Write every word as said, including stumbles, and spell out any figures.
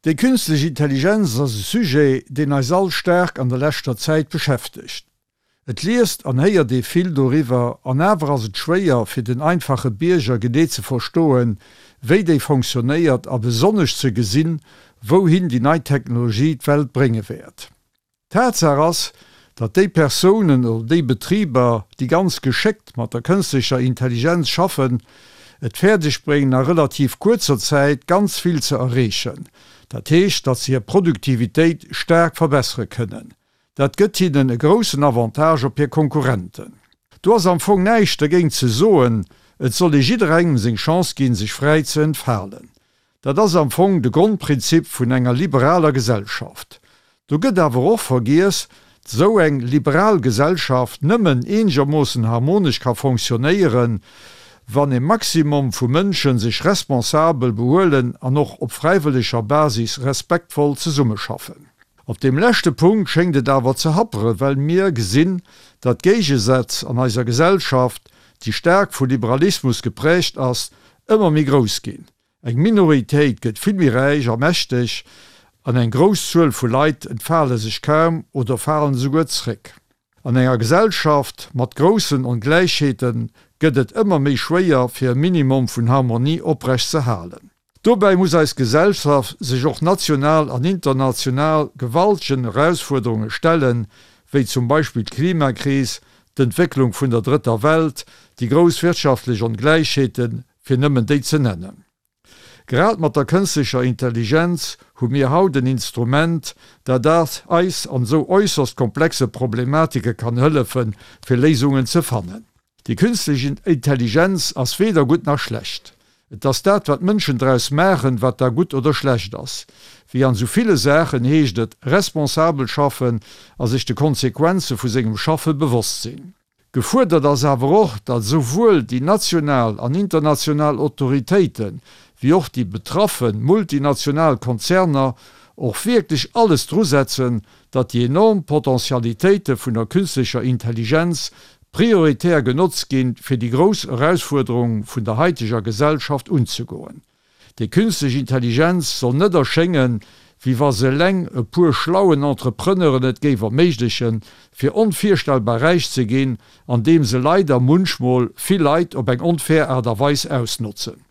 Déi künstlech Intelligenz ass e Sujet, deen eis all staark an der leschter Zäit beschäftegt. Et liest an héiert ee vill doriwwer, an awer ass et schwéier fir den einfache Bierger genee ze verstoen, wéi déi fonctionéiert a besonnesch ze gesinn, wouhin déi nei Technologie d'Welt brénge wäert. Tatsaach ass, datt déi Persounen oder déi Betriber, déi ganz geschéckt mat der kënschtlecher Intelligenz schaffen, et fäerdeg bréngen a relativ kuerzer Zäit ganz vill ze erreechen. Dat heescht, datt se hir Produktivitéit staark verbessere kënnen. Dat gëtt hinnen e groussen Avantage op hir Konkurrenten. Do ass am Fong näischt dergéint ze soen, et soll ee jidderengem seng Chance ginn, sech fräi ze entfalen. Dat ass am Fong de Grondprinzip vun enger liberaler Gesellschaft. Do gëtt awer och vergiess, datt esou eng liberal Gesellschaft nëmmen eenegermoossen harmonesch ka fonctionéieren, wann e Maximum vu Mënsche sech responsabel behuelen an och op fräiwëlleger Basis respektvoll zesummeschaffen. Op deem leschte Punkt schéngt et awer ze happeren, well mir gesinn, datt d'Géigesätz an eiser Gesellschaft, déi staark vu Liberalismus gepräägt ass, ëmmer méi grouss ginn. Eng Minoritéit gëtt vill méi räich a mächteg an eng grouss Zuel vu Leit entfale sech kaum oder falen esouguer zréck. An enger Gesellschaft mat groussen Ongläichheete gëtt et ëmmer méi schwéier fir e Minimum vun Harmonie oprecht ze halen. Dobäi muss eis Gesellschaft sech och national an international gewaltegen Erausfuerderunge stellen, wéi zum Beispill d'Klimakris, d'Entwécklung vun der Drëtter Welt, déi grouss wirtschaftlech Ongläichheeten, fir nëmmen déi ze nennen. Grad mat der kënstlecher Intelligenz hu mir haut en Instrument, dat eis an esou äusserst komplexe Problematike kann hëllefen, fir Léisungen ze fannen. Déi künstlech Intelligenz ass weder gutt nach schlecht. Et ass dat, wat d'Mënschen draus maachen, wat da gutt oder schlecht ass. Wéi an esou ville Saachen heescht et, responsabel schaffen a sech de Konsequenze vu sengem Schaffe bewosst sinn. Gefuerdert ass awer och, datt esouwuel déi national an international Autoritéiten, wéi och déi betraffe multinational Konzerner och wierklech alles drusetzen, datt déi enorm Potentialitéite vun der künstlecher Intelligenz prioritär genotzt ginn, fir déi grouss Erausfuerderung vun der haiteger Gesellschaft unzegoen. Déi künstlech Intelligenz soll net erschéngen, wéi wa se eleng e puer schlauen Entrepreneuren et géif erméiglechen, fir onvirstellbar räich ze ginn, andeem se leider munchmol vill Leit op eng onfair Aart a Weis ausnotzen.